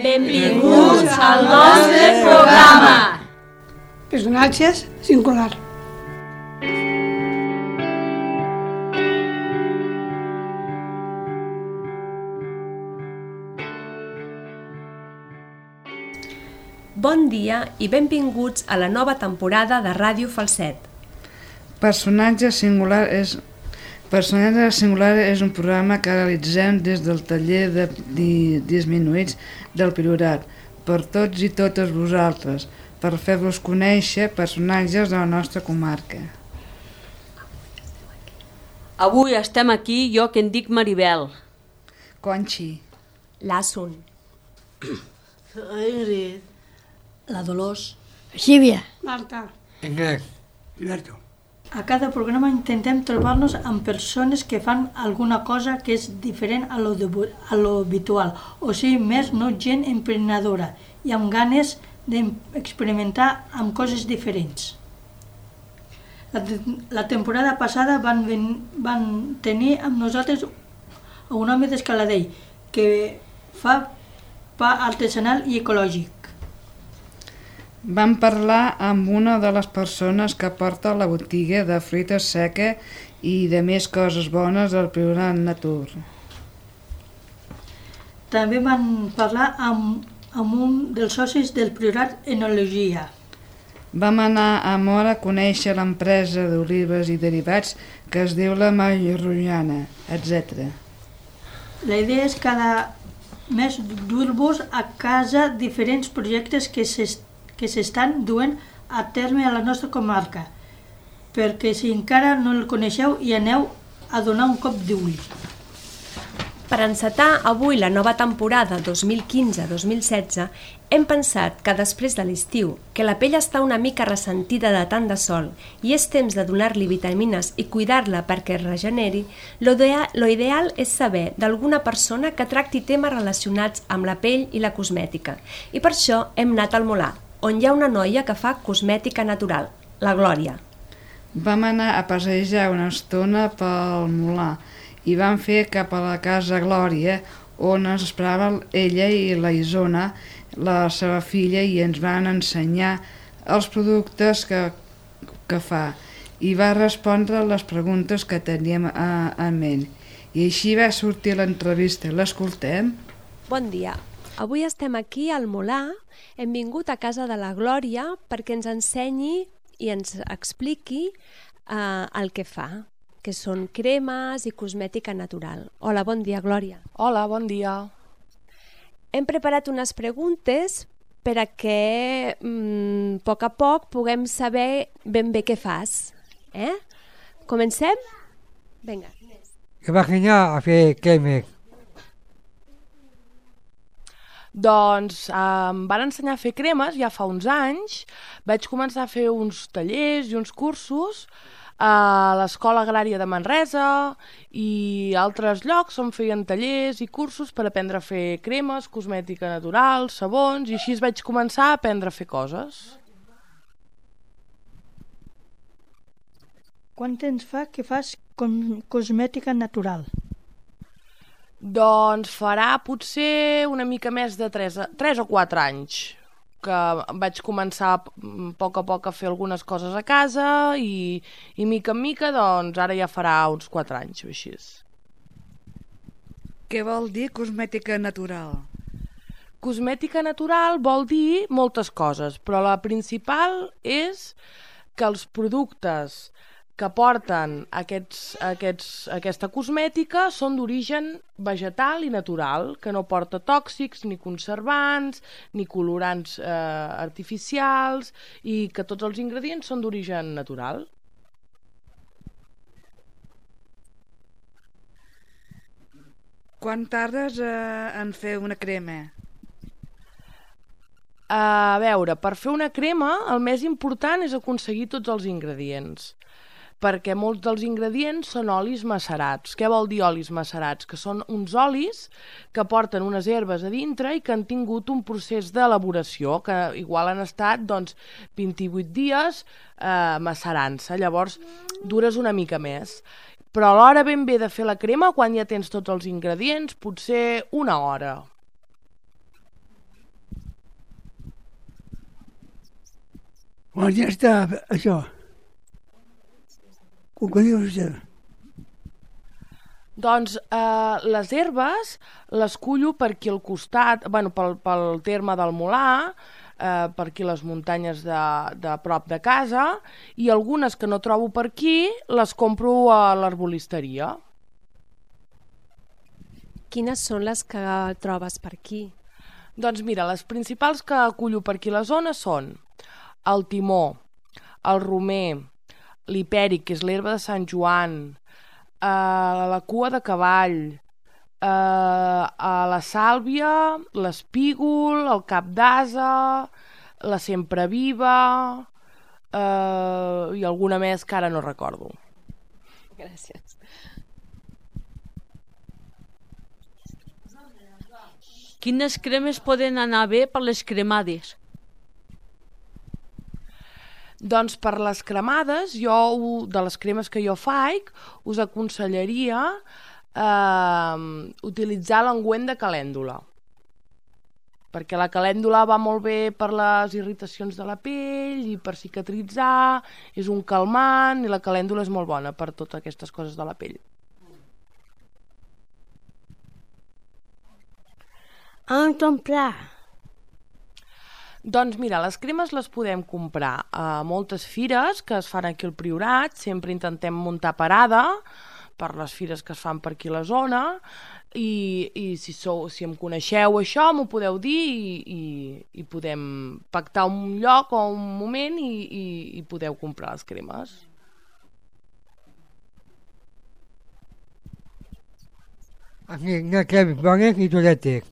Benvinguts al nostre programa. Personatges singular. Bon dia i benvinguts a la nova temporada de Ràdio Falset. Personatge singular és un programa que realitzem des del taller de disminuïts del Priorat per tots i totes vosaltres, per fer-vos conèixer personatges de la nostra comarca. Avui estem aquí jo que em dic Maribel. Conxi. L'Assun. Ingrid. La Dolors. Sílvia. Marta. Enric. Alberto. A cada programa intentem trobar-nos amb persones que fan alguna cosa que és diferent a lo habitual, o sigui, més no gent emprenedora i amb ganes d'experimentar amb coses diferents. La temporada passada van tenir amb nosaltres un home d'Escaladell que fa pa artesanal i ecològic. Vam parlar amb una de les persones que porta la botiga de fruita seca i de més coses bones del Priorat Natur. També van parlar amb un dels socis del Priorat Enologia. Vam anar a Móra a conèixer l'empresa d'olives i derivats que es diu la Mairrullana, etc. La idea és cada mes dur-vos a casa diferents projectes que s'estan duent a terme a la nostra comarca, perquè si encara no el coneixeu hi aneu a donar un cop d'ull. Per encetar avui la nova temporada 2015-2016, hem pensat que després de l'estiu, que la pell està una mica ressentida de tant de sol i és temps de donar-li vitamines i cuidar-la perquè es regeneri, lo ideal és saber d'alguna persona que tracti temes relacionats amb la pell i la cosmètica. I per això hem anat al Molar, on hi ha una noia que fa cosmètica natural, la Glòria. Vam anar a passejar una estona pel Molar i vam fer cap a la casa Glòria, on ens esperava ella i la Isona, la seva filla, i ens van ensenyar els productes que fa i va respondre les preguntes que teníem en ment. I així va sortir l'entrevista. L'escoltem? Bon dia. Avui estem aquí al Molar. Hem vingut a casa de la Glòria perquè ens ensenyi i ens expliqui el que fa, que són cremes i cosmètica natural. Hola, bon dia, Glòria. Hola, bon dia. Hem preparat unes preguntes perquè a poc puguem saber ben bé què fas. Comencem? Vinga. Què vas ensenyar a fer cremes? Doncs em van ensenyar a fer cremes ja fa uns anys. Vaig començar a fer uns tallers i uns cursos a l'Escola Agrària de Manresa i altres llocs on feien tallers i cursos per aprendre a fer cremes, cosmètica natural, sabons, i així vaig començar a aprendre a fer coses. Quant temps fa que fas cosmètica natural? Doncs farà potser una mica més de 3 o 4 anys que vaig començar a poc a fer algunes coses a casa i mica en mica doncs ara ja farà uns 4 anys o així. Què vol dir cosmètica natural? Cosmètica natural vol dir moltes coses, però la principal és que els productes que porten aquesta cosmètica són d'origen vegetal i natural, que no porta tòxics, ni conservants, ni colorants artificials, i que tots els ingredients són d'origen natural. Quan tardes en fer una crema? A veure, per fer una crema el més important és aconseguir tots els ingredients, perquè molts dels ingredients són olis macerats. Què vol dir olis macerats? Que són uns olis que porten unes herbes a dintre i que han tingut un procés d'elaboració, que igual han estat 28 dies macerant-se, llavors dures una mica més. Però a l'hora ben bé de fer la crema, quan ja tens tots els ingredients, potser 1 hora. Quan ja està això, què diu vostè? Doncs les herbes les cullo per aquí al costat, bueno, pel terme del Molar, per aquí les muntanyes de prop de casa, i algunes que no trobo per aquí les compro a l'arbolisteria. Quines són les que trobes per aquí? Doncs mira, les principals que cullo per aquí a la zona són el timó, el romer, l'hipèric, que és l'herba de Sant Joan, la cua de cavall, la sàlvia, l'espígol, el cap d'ase, la sempreviva i alguna més que ara no recordo. Gràcies. Quines cremes poden anar bé per les cremades? Doncs per les cremades, de les cremes que jo faig, us aconsellaria utilitzar l'ungüent de calèndula. Perquè la calèndula va molt bé per les irritacions de la pell i per cicatritzar, és un calmant i la calèndula és molt bona per totes aquestes coses de la pell. On comprar? Doncs mira, les cremes les podem comprar a moltes fires que es fan aquí al Priorat, sempre intentem muntar parada per les fires que es fan per aquí a la zona i si em coneixeu això m'ho podeu dir i podem pactar un lloc o un moment i podeu comprar les cremes. Aquí no hi ha cremes bones ni dolentes.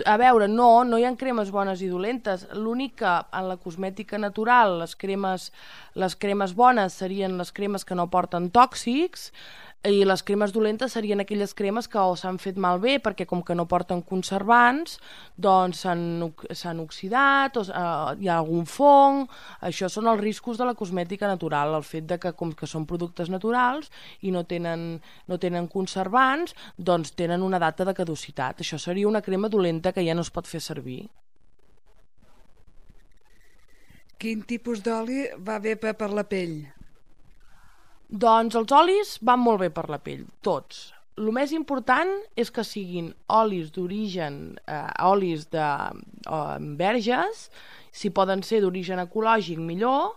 A veure, no hi ha cremes bones i dolentes. L'únic que en la cosmètica natural les cremes bones serien les cremes que no porten tòxics i les cremes dolentes serien aquelles cremes que o s'han fet malbé perquè com que no porten conservants doncs s'han oxidat o hi ha algun fong. Això són els riscos de la cosmètica natural, el fet de que com que són productes naturals i no tenen conservants, doncs tenen una data de caducitat. Això seria una crema dolenta que ja no es pot fer servir. Quin tipus d'oli va bé per la pell? Doncs els olis van molt bé per la pell, tots. El més important és que siguin olis d'origen, olis de verges, si poden ser d'origen ecològic millor,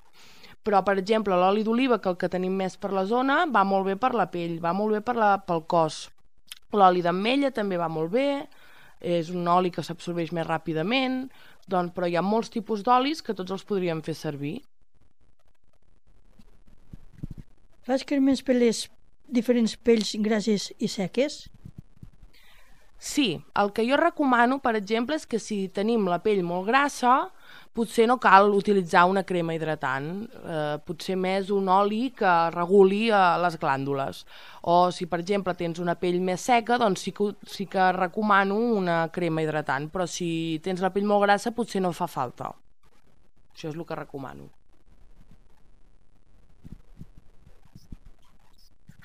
però per exemple l'oli d'oliva, que el que tenim més per la zona, va molt bé per la pell, va molt bé pel cos. L'oli d'ametlla també va molt bé, és un oli que s'absorbeix més ràpidament, doncs, però hi ha molts tipus d'olis que tots els podríem fer servir. Fas cremes per les diferents pells grasses i seques? Sí, el que jo recomano, per exemple, és que si tenim la pell molt grassa, potser no cal utilitzar una crema hidratant, potser més un oli que reguli les glàndules. O si, per exemple, tens una pell més seca, doncs sí que recomano una crema hidratant, però si tens la pell molt grassa potser no fa falta. Això és el que recomano.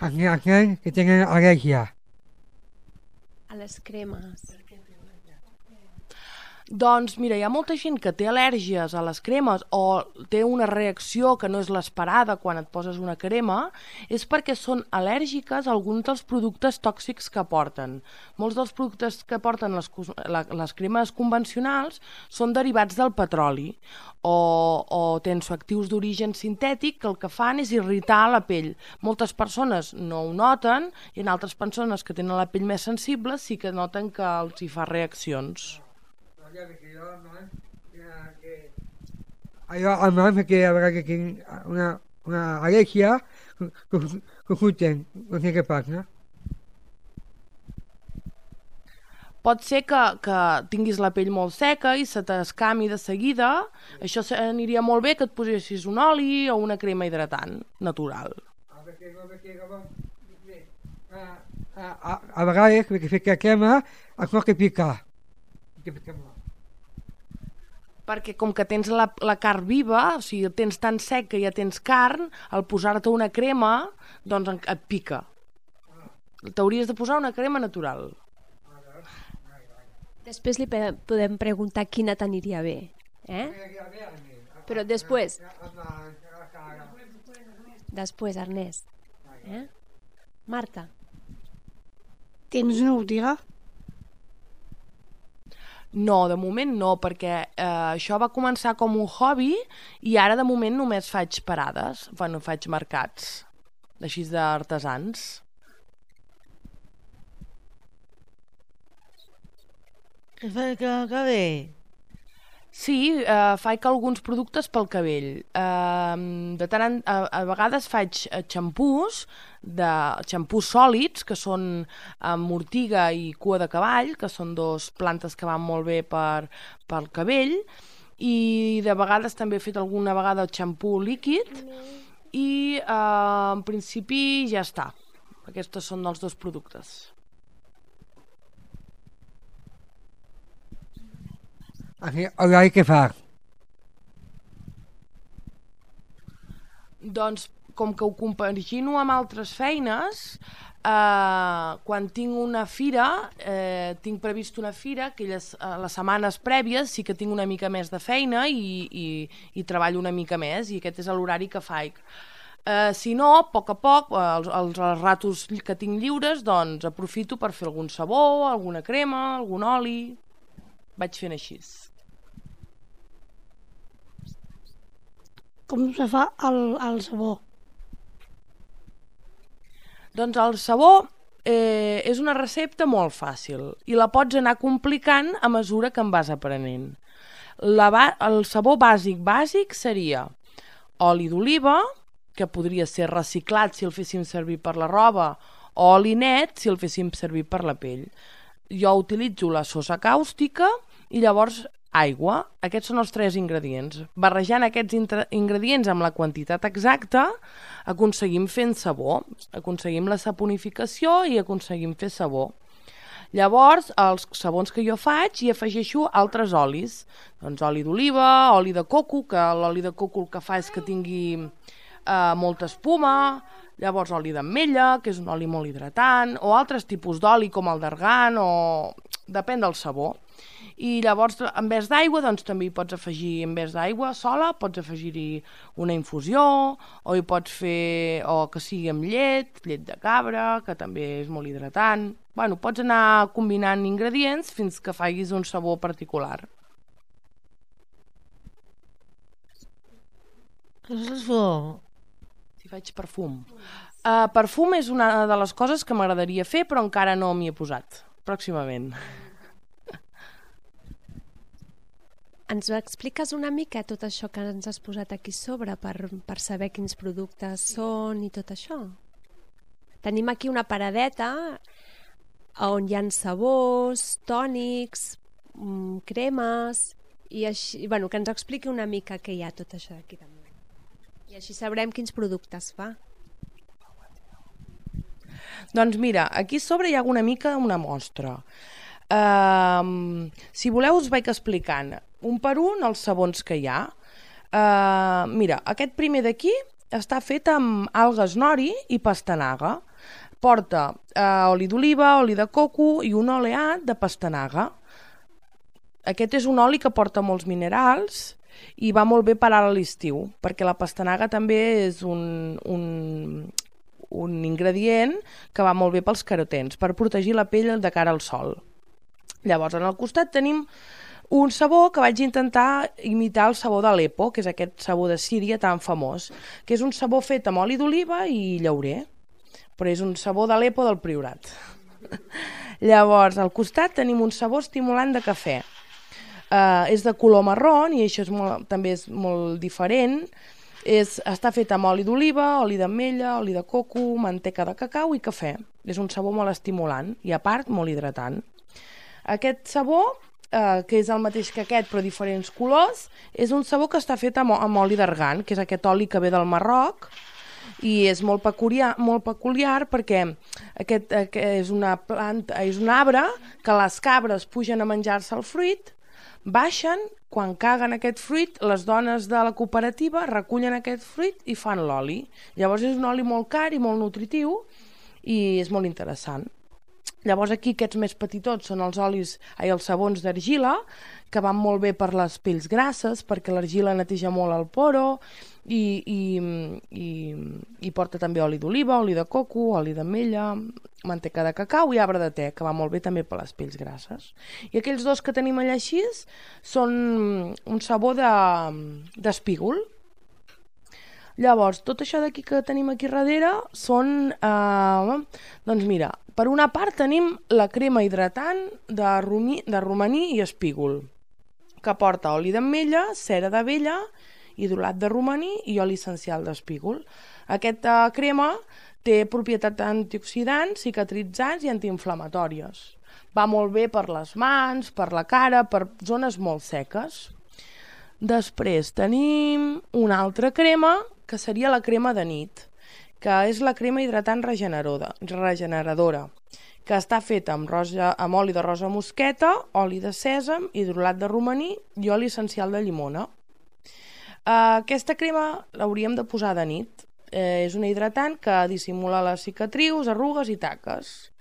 Aquells que tenen al·lèrgia. A les cremes. Doncs mira, hi ha molta gent que té al·lèrgies a les cremes o té una reacció que no és l'esperada quan et poses una crema, és perquè són al·lèrgiques a alguns dels productes tòxics que porten. Molts dels productes que porten les cremes convencionals són derivats del petroli o tensoactius d'origen sintètic que el que fan és irritar la pell. Moltes persones no ho noten i en altres persones que tenen la pell més sensible sí que noten que els hi fa reaccions. Allò al moment que a vegades tinc una al·lèrgia que surten, no sé què passa. Pot ser que tinguis la pell molt seca i se t'escami de seguida. Això aniria molt bé que et posessis un oli o una crema hidratant natural. A vegades, perquè fer que crema, es pot picar. Perquè com que tens la carn viva, o sigui, tens tan sec que ja tens carn, al posar-te una crema, doncs et pica. T'hauries de posar una crema natural. Després li podem preguntar quina t'aniria bé, Però després. Després, Ernest. Marta. Tens una botiga? No, de moment no, perquè això va començar com un hobby i ara de moment només faig parades, faig mercats, així d'artesans. Que bé! Sí, faig alguns productes pel cabell. A vegades faig xampús sòlids, que són amb ortiga i cua de cavall, que són dos plantes que van molt bé pel cabell, i de vegades també he fet alguna vegada xampú líquid, i en principi ja està. Aquests són els dos productes. Hola, què fa? Doncs, com que ho compagino amb altres feines, quan tinc una fira, tinc previst una fira, que les setmanes prèvies sí que tinc una mica més de feina i treballo una mica més, i aquest és l'horari que faig. Si no, a poc, els ratos que tinc lliures, doncs aprofito per fer algun sabó, alguna crema, algun oli. Vaig fent així. Com se fa el sabó? Doncs el sabó és una recepta molt fàcil i la pots anar complicant a mesura que en vas aprenent. El sabó bàsic seria oli d'oliva, que podria ser reciclat si el féssim servir per la roba, o oli net si el féssim servir per la pell. Jo utilitzo la sosa càustica i llavors aigua. Aquests són els 3 ingredients. Barrejant aquests ingredients amb la quantitat exacta aconseguim fer sabó, aconseguim la saponificació i aconseguim fer sabó. Llavors, els sabons que jo faig hi afegeixo altres olis. Doncs oli d'oliva, oli de coco, que l'oli de coco el que fa és que tingui molta espuma, llavors oli d'ametlla, que és un oli molt hidratant, o altres tipus d'oli com el d'argan, o depèn del sabó. I llavors, en vez d'aigua, doncs també hi pots afegir, en vez d'aigua sola, pots afegir-hi una infusió, o hi pots fer, o que sigui amb llet de cabra, que també és molt hidratant. Bueno, pots anar combinant ingredients fins que facis un sabor particular. Què és això? Si faig perfum. Perfum és una de les coses que m'agradaria fer, però encara no m'hi he posat. Pròximament. Ens ho expliques una mica, tot això que ens has posat aquí sobre, per saber quins productes són i tot això? Tenim aquí una paradeta on hi ha sabors, tònics, cremes, i així, bueno, que ens expliqui una mica què hi ha tot això d'aquí també. I així sabrem quins productes fa. Doncs mira, aquí sobre hi ha una mica una mostra. Si voleu us vaig explicant un per un els sabons que hi ha. Mira, aquest primer d'aquí està fet amb algues nori i pastanaga. Porta oli d'oliva, oli de coco i un oleat de pastanaga. Aquest és un oli que porta molts minerals i va molt bé per ara a l'estiu, perquè la pastanaga també és un ingredient que va molt bé pels carotens, per protegir la pell de cara al sol. Llavors, al costat tenim un sabó que vaig intentar imitar el sabó d'Aleppo, que és aquest sabó de Síria tan famós, que és un sabó fet amb oli d'oliva i llaurer, però és un sabó d'Aleppo del Priorat. Llavors, al costat tenim un sabó estimulant de cafè. És de color marrón i això també és molt diferent. Està fet amb oli d'oliva, oli d'ametlla, oli de coco, manteca de cacau i cafè. És un sabó molt estimulant i, a part, molt hidratant. Aquest sabó, que és el mateix que aquest però diferents colors, és un sabó que està fet amb oli d'argan, que és aquest oli que ve del Marroc, i és molt peculiar perquè aquest és una planta, és un arbre que les cabres pugen a menjar-se el fruit, baixen, quan caguen aquest fruit, les dones de la cooperativa recullen aquest fruit i fan l'oli. Llavors és un oli molt car i molt nutritiu i és molt interessant. Llavors aquí aquests més petitots són els els sabons d'argila, que van molt bé per les pells grasses, perquè l'argila neteja molt el poro i porta també oli d'oliva, oli de coco, oli d'ametlla, manteca de cacau i arbre de te, que va molt bé també per les pells grasses. I aquells dos que tenim allà així són un sabó d'espígol. Llavors, tot això d'aquí que tenim aquí darrere són, doncs mira, per una part tenim la crema hidratant de romaní i espígol, que porta oli d'ametlla, cera d'abella, hidrolat de romaní i oli essencial d'espígol. Aquesta crema té propietats antioxidants, cicatritzants i antiinflamatòries. Va molt bé per les mans, per la cara, per zones molt seques. Després tenim una altra crema, que seria la crema de nit, que és la crema hidratant regeneradora, que està feta amb oli de rosa mosqueta, oli de sèsam, hidrolat de romaní i oli essencial de llimona. Aquesta crema l'hauríem de posar de nit. És una hidratant que dissimula les cicatrius, arrugues i taques.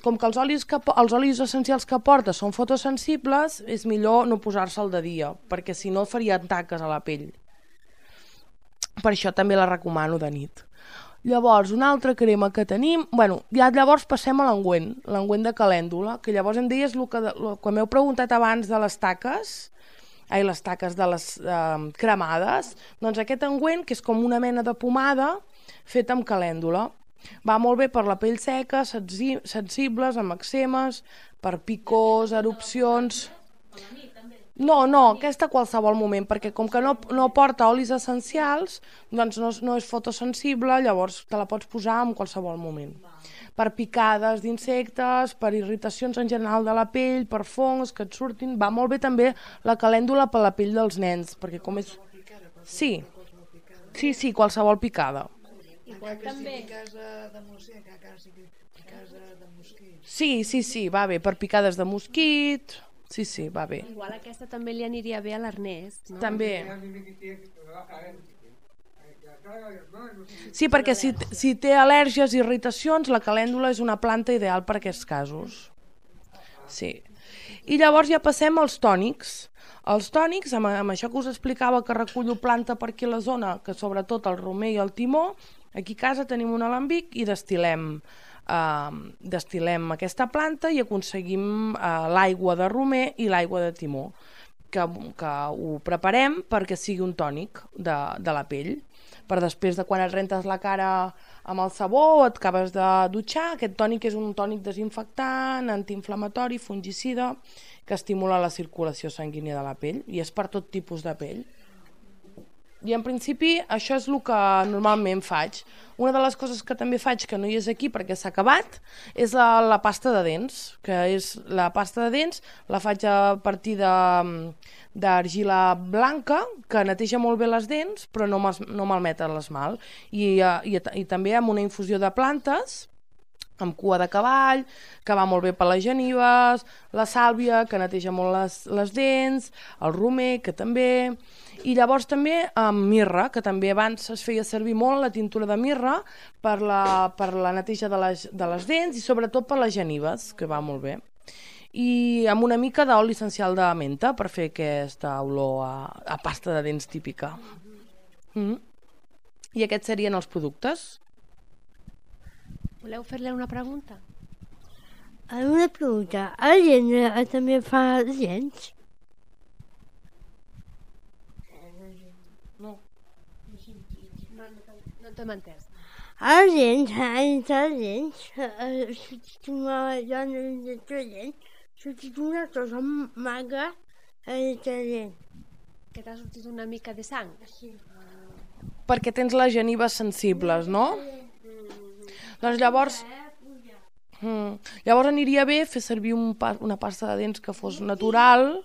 Com que els olis essencials que porta són fotosensibles, és millor no posar-se'l de dia, perquè si no faria taques a la pell. Per això també la recomano de nit. Llavors, una altra crema que tenim... ja llavors passem a l'engüent de calèndula, que llavors em deies, quan m'heu preguntat abans de les taques de les cremades, doncs aquest engüent, que és com una mena de pomada feta amb calèndula. Va molt bé per la pell seca, sensibles, amb eczemes, per picors, erupcions... No, aquesta a qualsevol moment, perquè com que no porta olis essencials, doncs no és fotosensible, llavors te la pots posar en qualsevol moment. Per picades d'insectes, per irritacions en general de la pell, per fongs que et surtin, va molt bé també la calèndula per la pell dels nens, perquè com és... Sí, qualsevol picada. Igual també. Sí, va bé, per picades de mosquit... Sí, va bé. Igual aquesta també li aniria bé a l'Ernest, no? També. Sí, perquè si té al·lèrgies i irritacions, la calèndula és una planta ideal per a aquests casos. Sí. I llavors ja passem als tònics. Els tònics, amb això que us explicava que recullo planta per aquí a la zona, que sobretot el romer i el timó, aquí a casa tenim un alambic i destil·lem aquesta planta i aconseguim l'aigua de romer i l'aigua de timó, que ho preparem perquè sigui un tònic de la pell, per després de quan et rentes la cara amb el sabó o et acabes de dutxar. Aquest tònic és un tònic desinfectant, antiinflamatori, fungicida, que estimula la circulació sanguínia de la pell i és per tot tipus de pell. I en principi això és el que normalment faig. Una de les coses que també faig, que no hi és aquí perquè s'ha acabat, és la pasta de dents, que és la pasta de dents, la faig a partir d'argila blanca, que neteja molt bé les dents, però no malmeta l'esmalt. I també amb una infusió de plantes, amb cua de cavall, que va molt bé per les genives, la sàlvia, que neteja molt les dents, el romer, que també... I llavors també amb mirra, que també abans es feia servir molt la tintura de mirra per la neteja de les dents i sobretot per les genives, que va molt bé. I amb una mica d'oli essencial de menta per fer aquesta olor a pasta de dents típica. I aquests serien els productes. Voleu fer-li una pregunta? Una pregunta. El gent també fa dents? No t'hem entès. Els dents, una dona detergent, sortit una cosa magra detergent. Que t'ha sortit una mica de sang? Sí. Perquè tens les genives sensibles, no? Doncs llavors aniria bé fer servir una pasta de dents que fos natural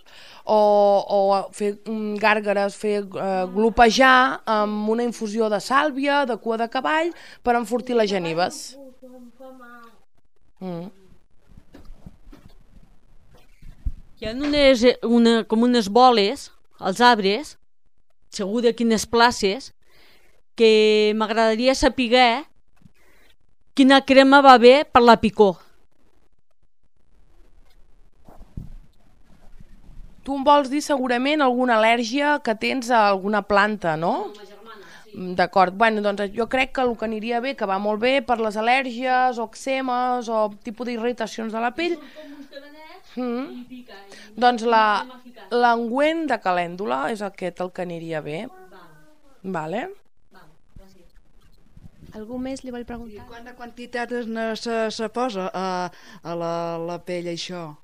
o fer gàrgares, fer glopejar amb una infusió de sàlvia, de cua de cavall, per enfortir les genives. Hi ha com unes boles als arbres, segur de quines places, que m'agradaria saber quina crema va bé per la picor. Tu em vols dir segurament alguna al·lèrgia que tens a alguna planta, no? D'acord, bueno, doncs jo crec que el que aniria bé, que va molt bé per les al·lèrgies o eczemes o tipus d'irritacions de la pell, doncs l'engüent de calèndula és aquest el que aniria bé. Vale. Algú més li vol preguntar? I quanta quantitat se posa a la pell, això?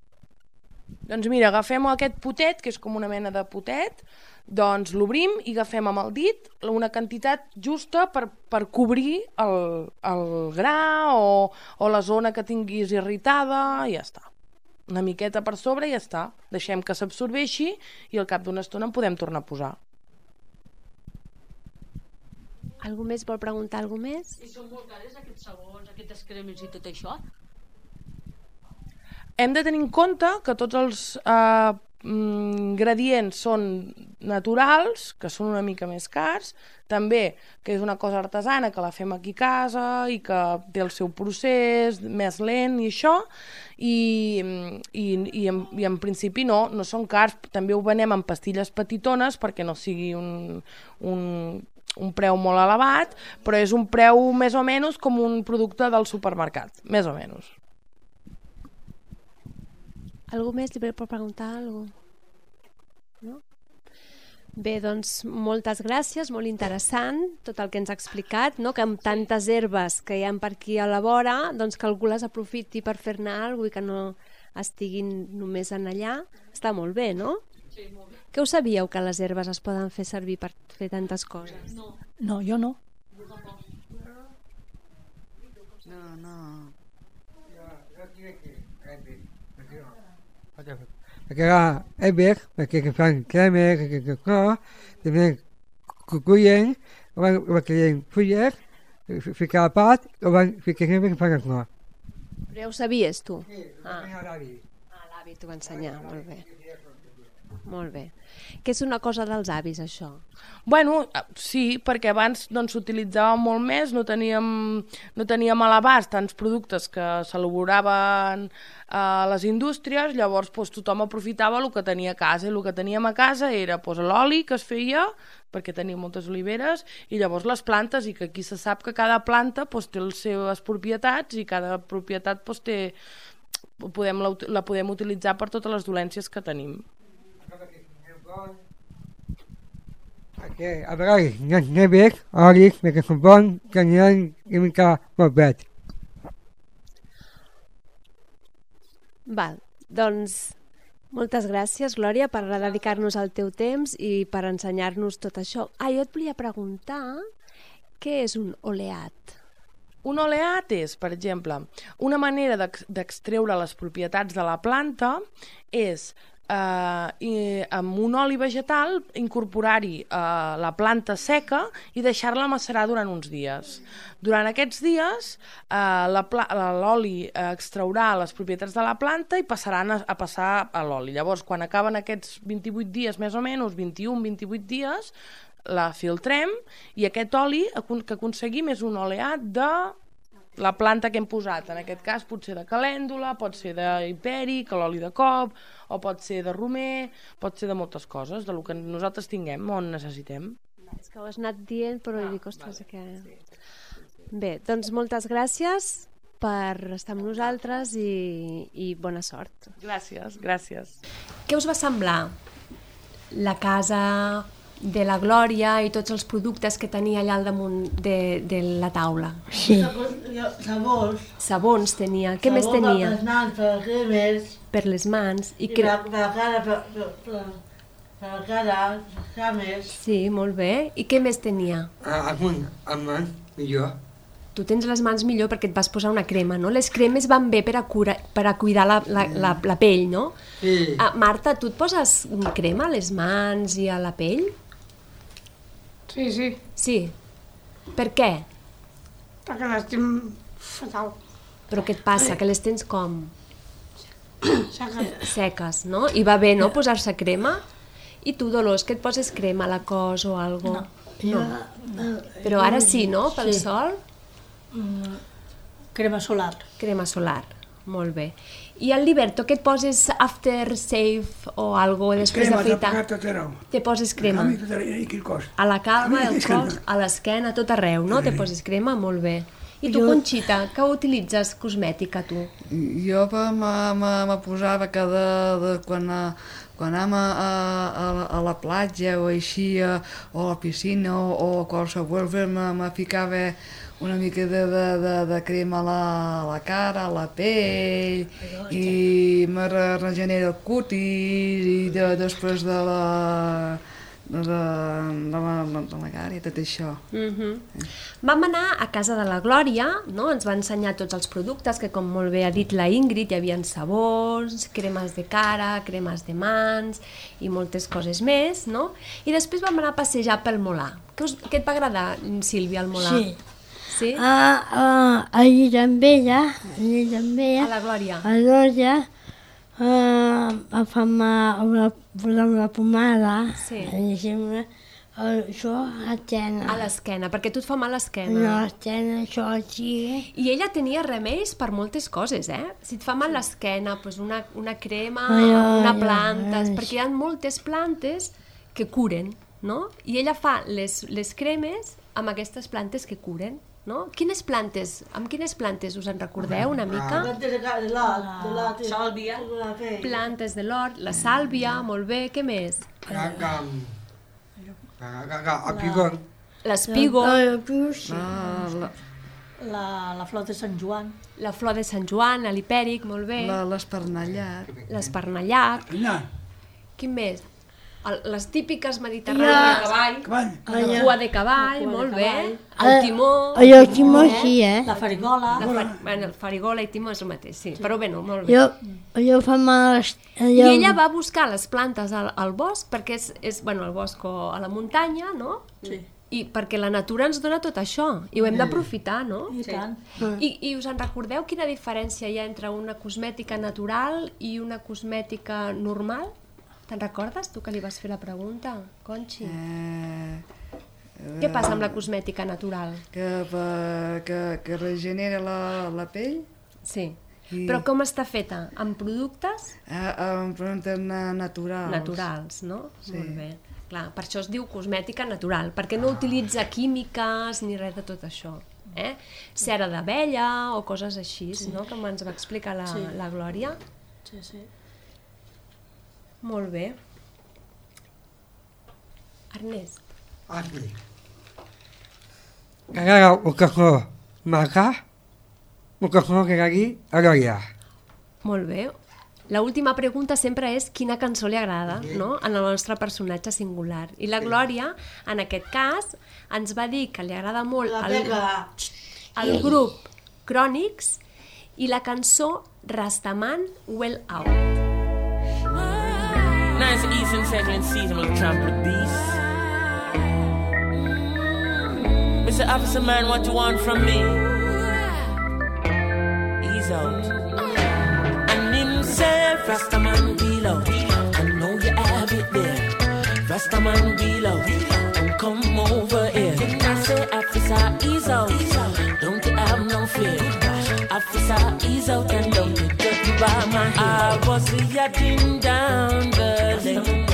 Doncs mira, agafem aquest potet, que és com una mena de potet, doncs l'obrim i agafem amb el dit una quantitat justa per cobrir el gra o la zona que tinguis irritada i ja està. Una miqueta per sobre i ja està. Deixem que s'absorbeixi i al cap d'una estona en podem tornar a posar. Algú més vol preguntar alguna més? I són molt cares aquests sabons, aquestes cremes i tot això? Hem de tenir en compte que tots els ingredients són naturals, que són una mica més cars, també que és una cosa artesana, que la fem aquí a casa i que té el seu procés més lent i això, i en principi no són cars. També ho venem en pastilles petitones perquè no sigui un preu molt elevat, però és un preu més o menys com un producte del supermercat, més o menys. Algú més li pot preguntar alguna cosa? No? Bé, doncs moltes gràcies, molt interessant tot el que ens ha explicat, no? Que amb tantes herbes que hi ha per aquí a la vora, doncs que algú les aprofiti per fer-ne alguna cosa i que no estiguin només en allà. Està molt bé, no? Sí, molt bé. Que ho sabíeu, que les herbes es poden fer servir per fer tantes coses? No, jo no. No. Perquè és bé, perquè fan cremes, també cuyen, o van creient fulles, ficar a part, o van ficar cremes que fan el clor. Però ja ho sabies, tu? Sí, l'avi t'ho va ensenyar, molt bé. Molt bé. Que és una cosa dels avis, això? Bueno, sí, perquè abans s'utilitzava molt més, no teníem a l'abast tants productes que s'elaboraven a les indústries, llavors tothom aprofitava el que tenia a casa, i el que teníem a casa era l'oli que es feia, perquè tenia moltes oliveres, i llavors les plantes, i que aquí se sap que cada planta té les seves propietats, i cada propietat la podem utilitzar per totes les dolències que tenim. A vegades no és bé, olis, perquè són bons, que n'hi ha una mica molt bé. Val, doncs moltes gràcies, Glòria, per dedicar-nos el teu temps i per ensenyar-nos tot això. Jo et volia preguntar què és un oleat? Un oleat és, per exemple, una manera d'extreure les propietats de la planta és amb un oli vegetal incorporar-hi la planta seca i deixar-la macerar durant uns dies. Durant aquests dies l'oli extraurà les propietats de la planta i passaran a passar a l'oli. Llavors, quan acaben aquests 28 dies, més o menys, 21-28 dies, la filtrem i aquest oli que aconseguim és un oleat de la planta que hem posat. En aquest cas pot ser de calèndula, pot ser d'hipèric, l'oli de cop, o pot ser de romer, pot ser de moltes coses, del que nosaltres tinguem o necessitem. És que ho has anat dient, però dic, ostres, que... Bé, doncs moltes gràcies per estar amb nosaltres i bona sort. Gràcies, gràcies. Què us va semblar la casa de la Glòria i tots els productes que tenia allà al damunt de la taula? Sí. Sabons. Sabons tenia. Què més tenia? Per les mans, per les cremes. Per les mans. I per la cara, per la cara, les cames. Sí, molt bé. I què més tenia? Amb mans, millor. Tu tens les mans millor perquè et vas posar una crema, no? Les cremes van bé per a cuidar la pell, no? Sí. Marta, tu et poses crema a les mans i a la pell? Sí. Sí. Per què? Perquè les tinc fatal. Però què et passa? Que les tens com? Seques. Seques, no? I va bé, no, posar-se crema? I tu, Dolors, que et poses crema a la cos o alguna cosa? No. Però ara sí, no? Pel sol? Crema solar. Crema solar. Molt bé. I al Liberto, què et poses after shave o algo després d'afeitar? Crema, tot arreu. Te poses crema? A mi tot arreu, i el cos. A la calma, al cos, a l'esquena, a tot arreu, no? Te poses crema? Molt bé. I tu, Conxita, què utilitzes cosmètica, tu? Jo me posava quan anem a la platja o així, o a la piscina o qualsevol, me ficava una mica de crema a la cara, a la pell, i me regenera el cutis, i després de la cara i tot això. Vam anar a casa de la Glòria, no? Ens va ensenyar tots els productes, que com molt bé ha dit la Ingrid, hi havia sabons, cremes de cara, cremes de mans i moltes coses més, no? I després vam anar a passejar pel Molar. Què et va agradar, Sílvia, al Molar? Sí. Sí? Allí també, a la Glòria. A la Glòria, fem una pomada, això a l'esquena. A l'esquena, perquè tu et fa mal a l'esquena. No, a l'esquena, això així. I ella tenia remeis per moltes coses, Si et fa mal l'esquena, doncs una crema, una planta, perquè hi ha moltes plantes que curen, no? I ella fa les cremes amb aquestes plantes que curen, no? Amb quines plantes us en recordeu una mica? La sàlvia. Plantes de l'hort, la sàlvia, molt bé, què més? L'espígol. L'espígol. La flor de Sant Joan. La flor de Sant Joan, l'hipèric, molt bé. L'espernallat. L'espernallat. Quin més? Les típiques mediterrànies de cavall. La cua de cavall, molt bé. El timó. El timó sí, La farigola. Bueno, farigola i timó és el mateix, sí. Però bé, molt bé. Jo fa mal... I ella va buscar les plantes al bosc, perquè és al bosc o a la muntanya, no? Sí. I perquè la natura ens dona tot això, i ho hem d'aprofitar, no? I tant. I us en recordeu quina diferència hi ha entre una cosmètica natural i una cosmètica normal? Te'n recordes, tu, que li vas fer la pregunta, Conxi? Què passa amb la cosmètica natural? Que regenera la pell. Sí. Però com està feta? Amb productes? Amb productes naturals. Naturals, no? Sí. Molt bé. Clar, per això es diu cosmètica natural, perquè no utilitza químiques ni res de tot això. Cera d'abella o coses així, no? Com ens va explicar la Glòria. Sí, sí. Molt bé. Ernest. Aquí. Ara un cafè maca, un cafè que aquí a Glòria. Molt bé. L'última pregunta sempre és quina cançó li agrada, no? En el nostre personatge singular. I la Glòria, en aquest cas, ens va dir que li agrada molt el grup Chronics i la cançó Rastaman Well Out. Now it's the Eastern Settling season with the trumpet beast. Mr. Officer Man, what you want from me? Ease out. And himself, Rastaman wheel out. I know you have it there. Rastaman wheel out. And come over here. And I say, Officer, ease out. Don't you have no fear. Officer, ease out and don't you judge me by my hair. I was yachting down the lane,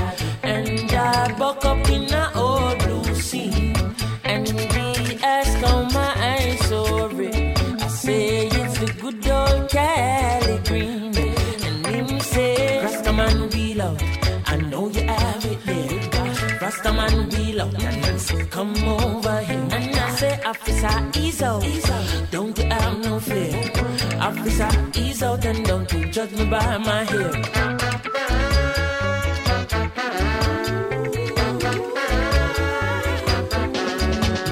and I buck up in a old blue sea, and we ask how my eyes so red. I say it's the good old Cali green, and him say Rastaman wheel out. I know you have it there. Rastaman wheel out, and I say come over here, and I say Officer, ease out. Don't you have no fear. Officer, ease out and don't you judge me by my hair.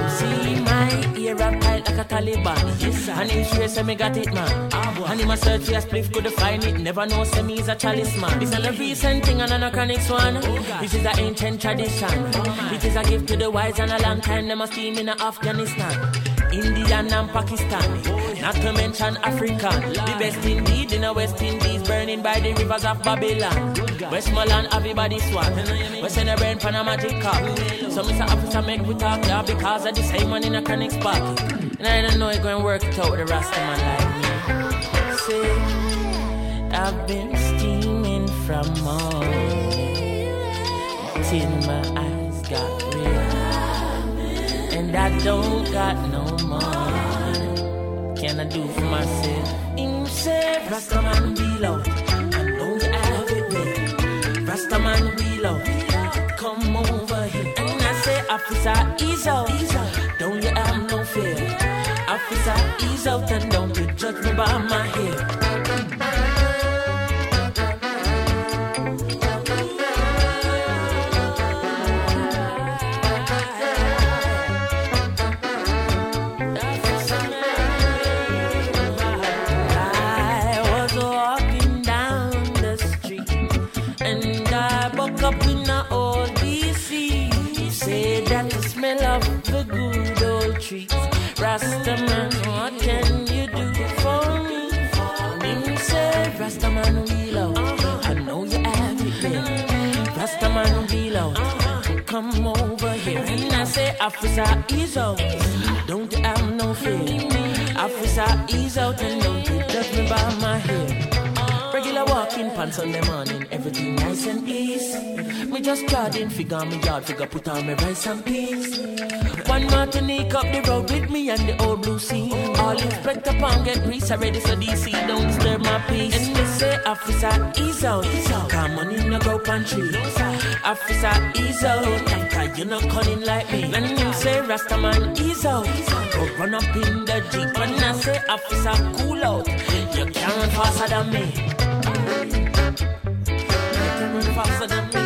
See my ear up tight like a Taliban. Yes, sir. And him sure say me got it, man. And him a search for a spliff, could find it. Never know say me is a chalice man. This is a recent thing and an anachronic one. This is an ancient tradition. It is a gift to the wise and a long time them a steam in Afghanistan, Indian and Pakistani, not to mention African. The best indeed in the West Indies, burning by the rivers of Babylon. Westmoreland, everybody swat. We send a brain pan a magic cup. So Mr. Officer make we talk, yeah, because of the same one in a chronic spot. And I don't know you're going to work it out with the Rasta man like me. say I've been steaming from morning till my eyes got red, and I don't got no more. Can I do for myself? Him say Rastaman wheel out, I know you have it there. Rastaman wheel out, come over here. And I say, officer, ease out, don't you have no fear. Officer, ease out and don't you judge me by my hair. Of the good old trees, Rastaman, what can you do for me? Him say, Rastaman wheel out, I know you have it there. Rastaman wheel out, come over here. And I say, officer, ease out, don't you have no fear. Officer, ease out and don't you judge me by my hair. Regular walking pants on the morning, everything nice and easy. Me just garden figure me yard figure, put on me rice and peas. One Martinique up the road with me and the old blue sea. All Inspector Pong get grease already, so DC don't disturb my peace. And they say, officer, ease out, come on in the go pantry. Officer, ease out, cause you're not cunning like me. And you say, Rastaman, ease out, go run up in the Jeep. When I say, officer, cool out, you can't run faster than me. You can't run faster than me.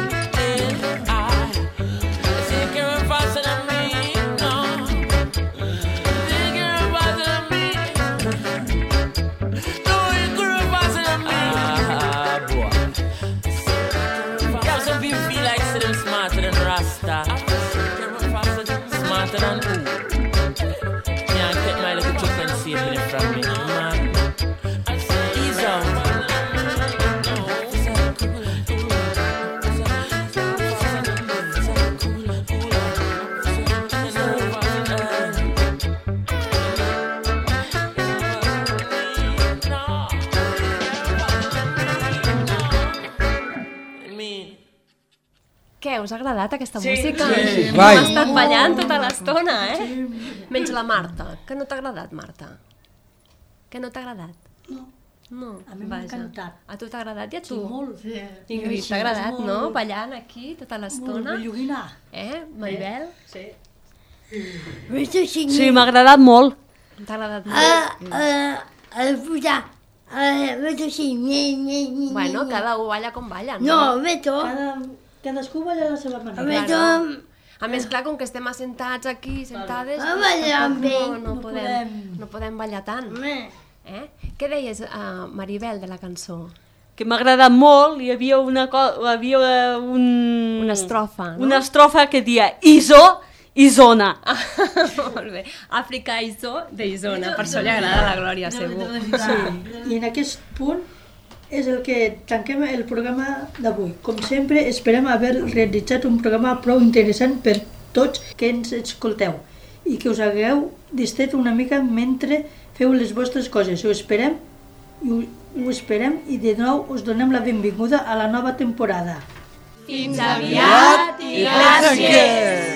Smarter than who? Can't get my little chicken safely from me, man. Ease out. Què, us ha agradat aquesta música? Sí. Hem estat ballant tota l'estona, Menys la Marta. Què no t'ha agradat, Marta? Què no t'ha agradat? No, a mi m'ha encantat. A tu t'ha agradat i a tu? Sí, molt. Ingrid, t'ha agradat, no? Ballant aquí tota l'estona. Molt belluguina. Maribel? Sí. Sí, m'ha agradat molt. T'ha agradat molt? Bueno, cada un balla com balla, no? No, Beto. Cadascú balla a la seva manera. A més, clar, com que estem assentats aquí, sentades, no podem ballar tant. Què deies, Maribel, de la cançó? Que m'ha agradat molt, hi havia una estrofa, no? Una estrofa que dia Iso, Isona. Molt bé. Àfrica Iso de Isona, per això li agrada la Glòria, segur. I en aquest punt és el que tanquem el programa d'avui. Com sempre, esperem haver realitzat un programa prou interessant per tots que ens escolteu i que us hagueu distret una mica mentre feu les vostres coses. Ho esperem i de nou us donem la benvinguda a la nova temporada. Fins aviat i gràcies!